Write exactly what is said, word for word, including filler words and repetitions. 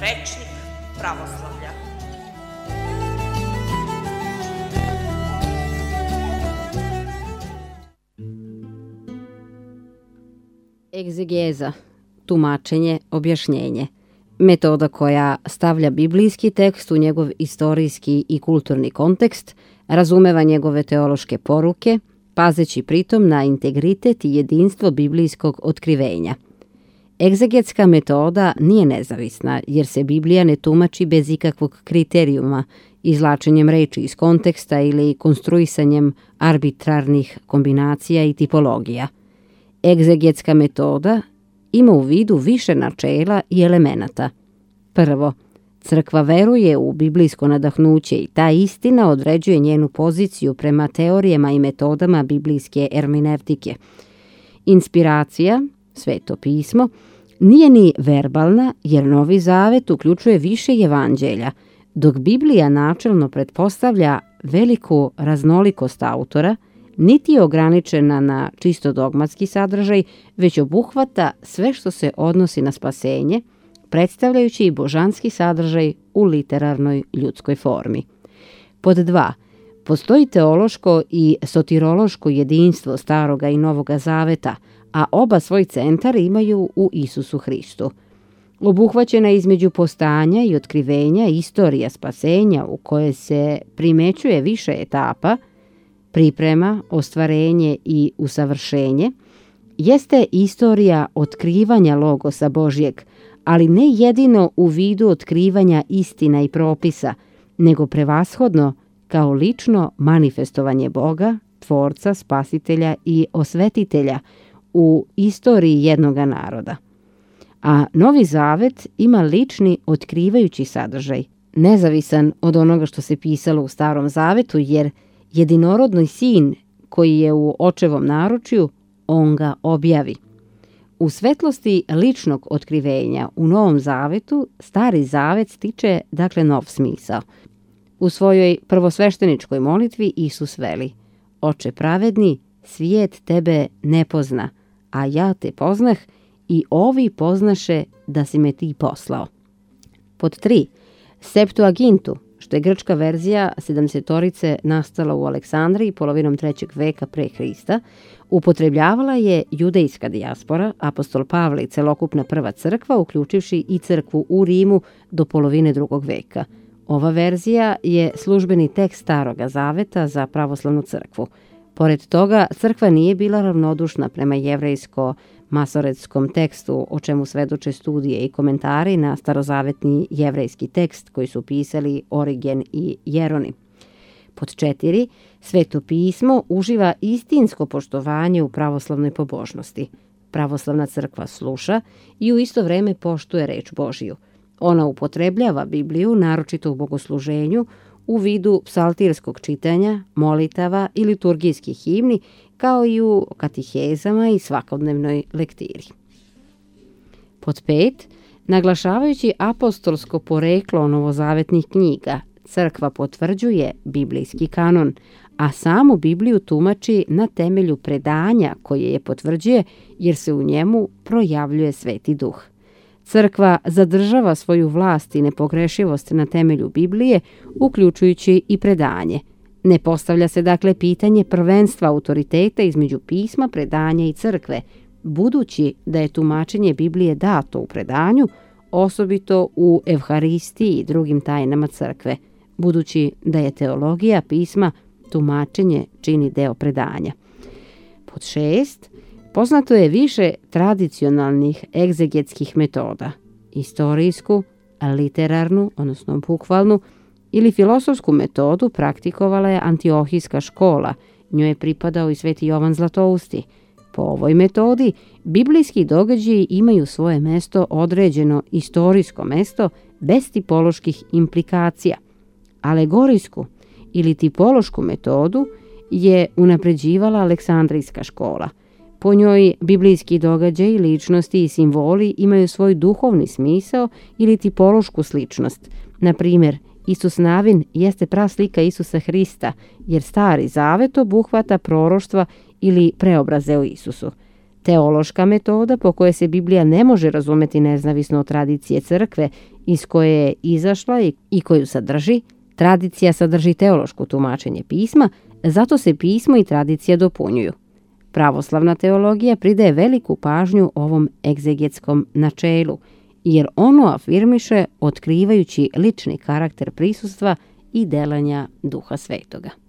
Rečnik pravoslavlja. Egzegeza, tumačenje, objašnjenje. Metoda koja stavlja biblijski tekst u njegov istorijski i kulturni kontekst, razumeva njegove teološke poruke, pazeći pritom na integritet i jedinstvo biblijskog otkrivenja. Egzegetska metoda nije nezavisna, jer se Biblija ne tumači bez ikakvog kriterijuma, izvlačenjem reči iz konteksta ili konstruisanjem arbitrarnih kombinacija i tipologija. Egzegetska metoda ima u vidu više načela i elemenata. Prvo, crkva veruje u biblijsko nadahnuće i ta istina određuje njenu poziciju prema teorijama i metodama biblijske ermenevtike. Inspiracija, Sveto pismo, nije ni verbalna, jer Novi Zavet uključuje više evanđelja, dok Biblija načelno pretpostavlja veliku raznolikost autora, niti je ograničena na čisto dogmatski sadržaj, već obuhvata sve što se odnosi na spasenje, predstavljajući i božanski sadržaj u literarnoj ljudskoj formi. Pod dva. Postoji teološko i sotirološko jedinstvo Staroga i Novoga Zaveta, a oba svoj centar imaju u Isusu Hristu. Obuhvaćena između postanja i otkrivenja istorija spasenja u kojoj se primećuje više etapa, priprema, ostvarenje i usavršenje, jeste istorija otkrivanja Logosa Božjeg, ali ne jedino u vidu otkrivanja istina i propisa, nego prevashodno kao lično manifestovanje Boga, Tvorca, Spasitelja i Osvetitelja u istoriji jednoga naroda. A Novi Zavet ima lični otkrivajući sadržaj, nezavisan od onoga što se pisalo u Starom Zavetu, jer jedinorodni sin koji je u očevom naručju, on ga objavi. U svetlosti ličnog otkrivenja u Novom Zavetu, Stari Zavet stiče dakle nov smisao. U svojoj prvosvešteničkoj molitvi Isus veli: Oče pravedni, svijet tebe ne pozna, a ja te poznah i ovi poznaše da si me ti poslao. Pod tri. Septuagintu, što je grčka verzija sedamdesetorice nastala u Aleksandriji polovinom trećeg veka pre Hrista, upotrebljavala je judejska dijaspora, apostol Pavle i celokupna prva crkva, uključivši i crkvu u Rimu do polovine drugog veka. Ova verzija je službeni tekst Staroga Zaveta za pravoslavnu crkvu. Pored toga, crkva nije bila ravnodušna prema jevrejsko-masoretskom tekstu, o čemu svedoče studije i komentari na starozavetni jevrejski tekst koji su pisali Origen i Jeronim. Pod četiri. Sveto pismo uživa istinsko poštovanje u pravoslavnoj pobožnosti. Pravoslavna crkva sluša i u isto vreme poštuje reč Božiju. Ona upotrebljava Bibliju, naročito u bogosluženju, u vidu psaltirskog čitanja, molitava i liturgijskih himni, kao i u katihezama i svakodnevnoj lektiri. Pod pet. Naglašavajući apostolsko poreklo novozavetnih knjiga, crkva potvrđuje biblijski kanon, a samu Bibliju tumači na temelju predanja koje je potvrđuje, jer se u njemu projavljuje Sveti Duh. Crkva zadržava svoju vlast i nepogrešivost na temelju Biblije, uključujući i predanje. Ne postavlja se dakle pitanje prvenstva autoriteta između pisma, predanja i crkve, budući da je tumačenje Biblije dato u predanju, osobito u Evharistiji i drugim tajnama crkve, budući da je teologija pisma tumačenje čini deo predanja. Pod šest. Poznato je više tradicionalnih egzegetskih metoda, istorijsku, literarnu, odnosno bukvalnu, ili filosofsku metodu praktikovala je Antiohijska škola, njoj je pripadao i Sveti Jovan Zlatousti. Po ovoj metodi, biblijski događaji imaju svoje mesto određeno istorijsko mesto bez tipoloških implikacija. Alegorijsku ili tipološku metodu je unapređivala Aleksandrijska škola. Po njoj biblijski događaji, ličnosti i simboli imaju svoj duhovni smisao ili tipološku sličnost. Na primjer, Isus Navin jeste praslika Isusa Hrista, jer Stari Zavet obuhvata proroštva ili preobraze o Isusu. Teološka metoda po kojoj se Biblija ne može razumeti nezavisno od tradicije crkve iz koje je izašla i koju sadrži. Tradicija sadrži teološko tumačenje pisma, zato se pismo i tradicija dopunjuju. Pravoslavna teologija pridaje veliku pažnju ovom egzegetskom načelu, jer ono afirmiše otkrivajući lični karakter prisustva i delanja Duha Svetoga.